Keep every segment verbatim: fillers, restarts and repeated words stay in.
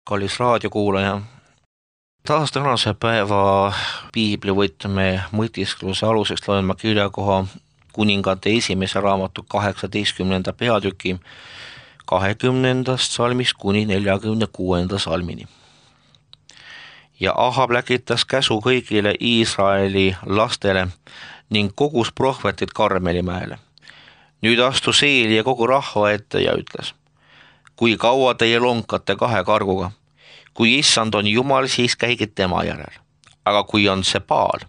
Kallis raadiokuulaja, taas tänase päeva piiblivõtme mõtiskluse aluseks loen ma kirjakoha Kuningate esimese raamatu kaheksateistkümnenda peatüki kahekümnendast salmist kuni neljakümne kuuenda salmini. Ja Ahab läkitas käsu kõigile Iisraeli lastele ning kogus prohvetid Karmelimäele. Nüüd astus Eeli ja kogu rahva ette ja ütles: kui kaua teie lonkate kahe karguga? Kui issand on Jumal, siis käige tema järel. Aga kui on see Baal,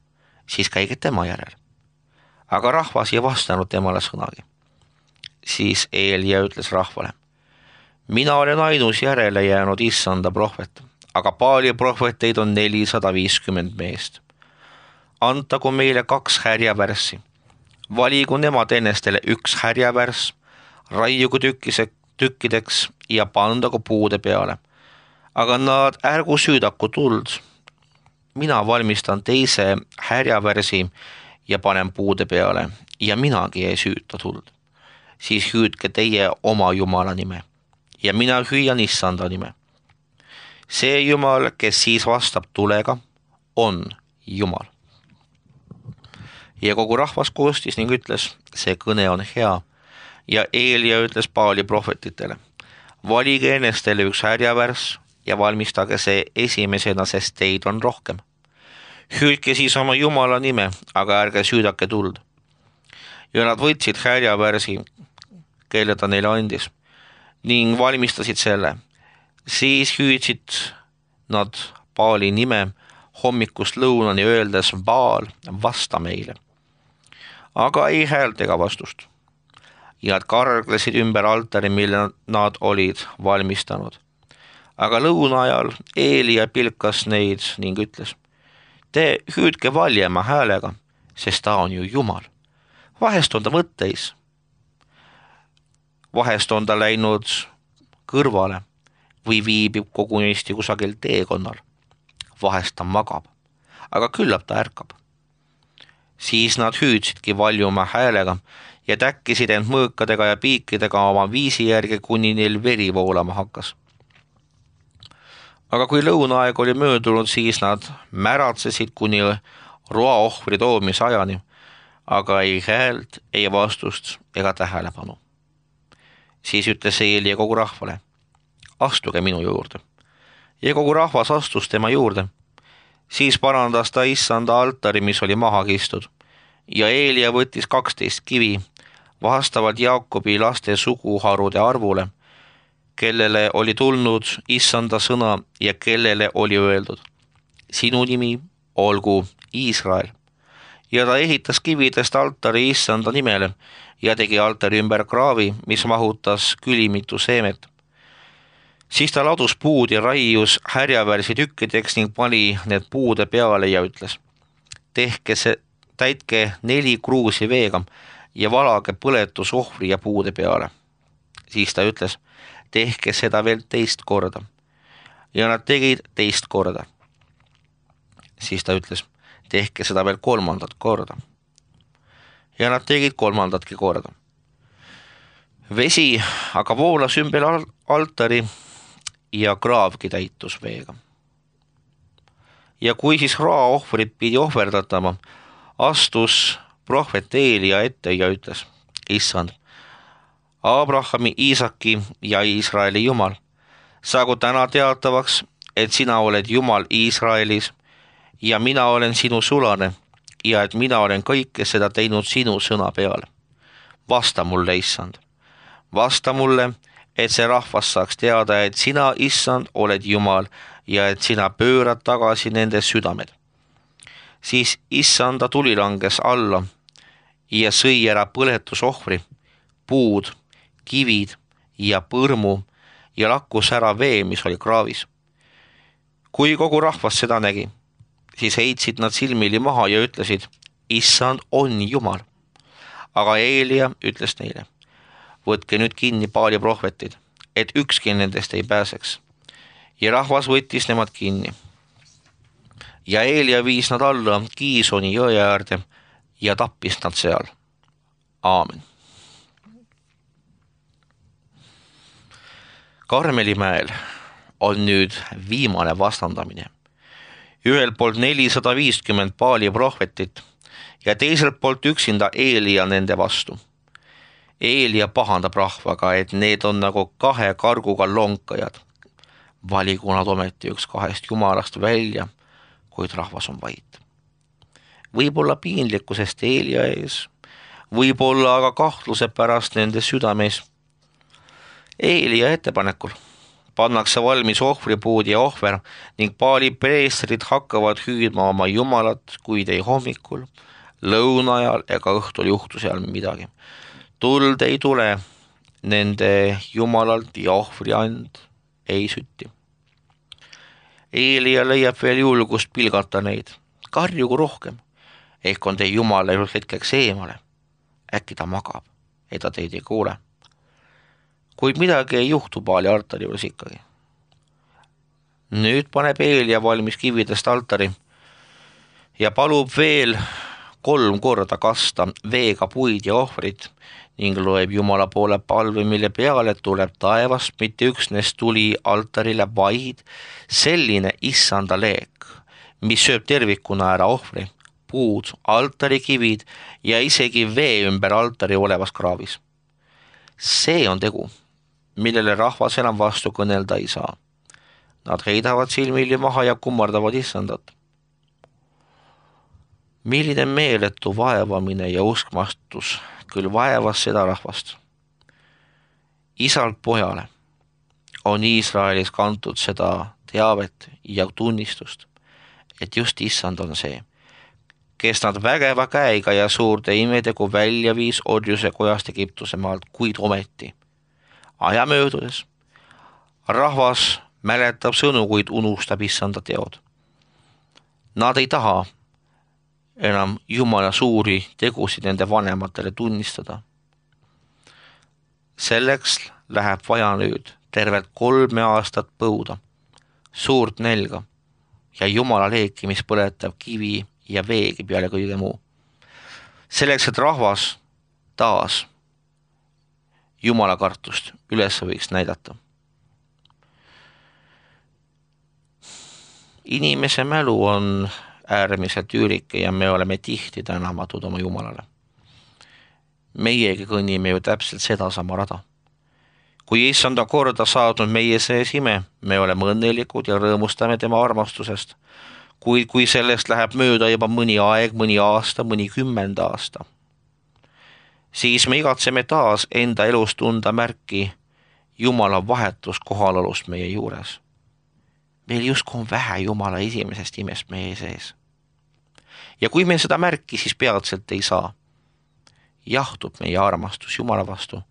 siis käige tema järel. Aga rahvas ei vastanud temale sõnagi. Siis Eelia ütles rahvale: mina olen ainus järele jäänud issanda prohvet, aga Baali prohveteid on nelisada viiskümmend meest. Antagu meile kaks härjavärssi. Valigu nemad ennestele üks härjavärs, raiugu tükkise, tükkideks ja pandagu puude peale. Aga nad ärgu süüdaku tuld. Mina valmistan teise härjavärsi ja panen puude peale ja minagi ei süüta tuld. Siis hüüdke teie oma Jumala nime ja mina hüüan issanda nime. See Jumal, kes siis vastab tulega, on Jumal. Ja kogu rahvas koostis ning ütles: see kõne on hea. Ja Eelia ütles Baali prohvetitele: valige ennestele üks härjavärs ja valmistage see esimesena, sest teid on rohkem. Hüüdke siis oma Jumala nime, aga ärge süüdake tuld. Ja nad võtsid härjavärsi, kelle ta neile andis, ning valmistasid selle. Siis hüüdsid nad Baali nime hommikust lõunani, öeldes: Baal, vasta meile. Aga ei häält ega vastust. Ja nad karglesid ümber altari, mille nad olid valmistanud. Aga lõuna ajal Eelia pilkas neid ning ütles: te hüüdke valjema häälega, sest ta on ju Jumal. Vahest on ta mõtteis. Vahest on ta läinud kõrvale või viibib kogunisti kusagil teekonnal. Vahest ta magab, aga küllap ta ärkab. Siis nad hüüdsidki valjuma häälega ja täkkisid end mõõkadega ja piikidega oma viisi järgi, kuni neil veri voolama hakkas. Aga kui lõunaaeg oli möödunud, siis nad märatsesid kuni roaohvri toomise ajani, aga ei häält, ei vastust ega tähelepanu. Siis ütles Eelia kogu rahvale: astuge minu juurde. Ja kogu rahvas astus tema juurde. Siis parandas ta issanda altari, mis oli maha kistud. Ja Eelia võttis kaksteist kivi vastavalt Jaakobi laste suguharude arvule, kellele oli tulnud issanda sõna ja kellele oli öeldud: sinu nimi olgu Iisrael. Ja ta ehitas kividest altari issanda nimele ja tegi altari ümber kraavi, mis mahutas külimitu seemet. Siis ta ladus puud ja raius härjavärsi tükkideks ning pani need puude peale ja ütles: tehke see, täitke neli kruusi veega ja valage põletusohvri ja puude peale. Siis ta ütles: tehke seda veel teist korda. Ja nad tegid teist korda. Siis ta ütles: tehke seda veel kolmandat korda. Ja nad tegid kolmandatki korda. Vesi aga voolas ümber altari ja kraavgi täitus veega. Ja kui siis roaohvrit pidi ohverdatama, astus prohvet Eelia ette ja ütles: issand, Abrahami, Iisaki ja Iisraeli Jumal, saagu täna teatavaks, et sina oled Jumal Iisraelis ja mina olen sinu sulane ja et mina olen kõike seda teinud sinu sõna peale. Vasta mulle, issand, vasta mulle, et see rahvas saaks teada, et sina, issand, oled Jumal ja et sina pöörad tagasi nende südamed. Siis issanda tuli langes alla ja sõi ära põletusohvri, puud, kivid ja põrmu ja lakkus ära vee, mis oli kraavis. Kui kogu rahvas seda nägi, siis heitsid nad silmili maha ja ütlesid: issand on Jumal. Aga Eelia ütles neile: võtke nüüd kinni Baali prohvetid, et ükski nendest ei pääseks. Ja rahvas võttis nemad kinni. Ja Eelia viis nad alla Kiisoni jõe äärde ja tappis nad seal. Aamen. Karmelimäel on nüüd viimane vastandamine. Ühelt poolt nelisada viiskümmend Baali prohvetit ja teiselt poolt üksinda Eelia nende vastu. Eelia pahandab rahvaga, et need on nagu kahe karguga lonkajad. Valigu nad ometi üks kahest jumalast välja, kuid rahvas on vait. Võib-olla piinlikkusest Eelia ees, võib-olla aga kahtluse pärast nende südames. Eelia ettepanekul pannakse valmis ohvripuud ja ohver ning Baali preestrid hakkavad hüüdma oma jumalat, kuid ei hommikul, lõuna ajal ega õhtul juhtu seal midagi. Tuld ei tule nende jumalalt ja ohvriand ei sütti. Eelia leiab veel julgust pilgata neid. Karjugu rohkem. Ehk on teie jumal läinud hetkeks eemale. Äkki ta magab, et ta teid ei kuule. Kuid midagi ei juhtu Baali altari juures ikkagi. Nüüd paneb Eelia valmis kividest altari ja palub veel kolm korda kasta veega puid ja ohvrit ning loeb Jumala poole palve, mille peale tuleb taevast mitte üksnes tuli altarile, vaid selline issanda leek, mis sööb tervikuna ära ohvri, puud, altari kivid ja isegi vee ümber altari olevas kraavis. See on tegu, millele rahvas enam vastu kõnelda ei saa. Nad heidavad silmili maha ja kummardavad issandat. Milline meeletu vaevamine ja uskmastus küll vaevas seda rahvast. Isalt pojale on Iisraelis kantud seda teavet ja tunnistust, et just issand on see, kes nad vägeva käega ja suurte imetegu välja viis orjuse kojast Egiptuse maalt, kuid ometi aja möödudes rahvas mäletab sõnu, kuid unustab issanda teod. Nad ei taha enam Jumala suuri tegusid nende vanematele tunnistada. Selleks läheb vaja nüüd tervelt kolme aastat põuda, suurt nelga ja Jumala leeki, mis põletab kivi ja veegi peale kõige muu. Selleks, et rahvas taas Jumala kartust üles võiks näidata. Inimese mälu on äärmiselt üürike ja me oleme tihti tänamatud oma Jumalale. Meiegi kõnnime ju täpselt seda sama rada. Kui issand on korda saadnud meie sees ime, me oleme õnnelikud ja rõõmustame tema armastusest, kuid kui sellest läheb mööda juba mõni aeg, mõni aasta, mõni kümmend aasta, siis me igatseme taas enda elus tunda märki Jumala vahetus kohalolust meie juures. Meil justkui on vähe Jumala esimesest imest meie sees. Ja kui me seda märki siis peatselt ei saa, jahtub meie armastus Jumala vastu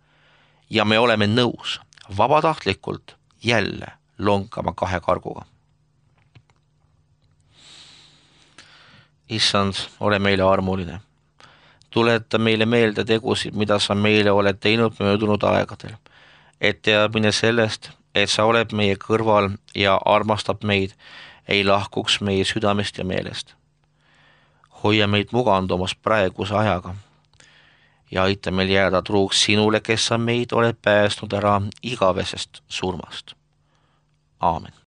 ja me oleme nõus vabatahtlikult jälle lonkama kahe karguga. Issand, ole meile armuline. Tuleta meile meelde tegusid, mida sa meile oled teinud möödunud aegadel, et teadmine sellest, et sa oled meie kõrval ja armastab meid, ei lahkuks meie südamest ja meelest. Hoia meid mugandumas praeguse ajaga ja aita meil jääda truuks sinule, kes sa meid oled päästnud ära igavesest surmast. Aamen.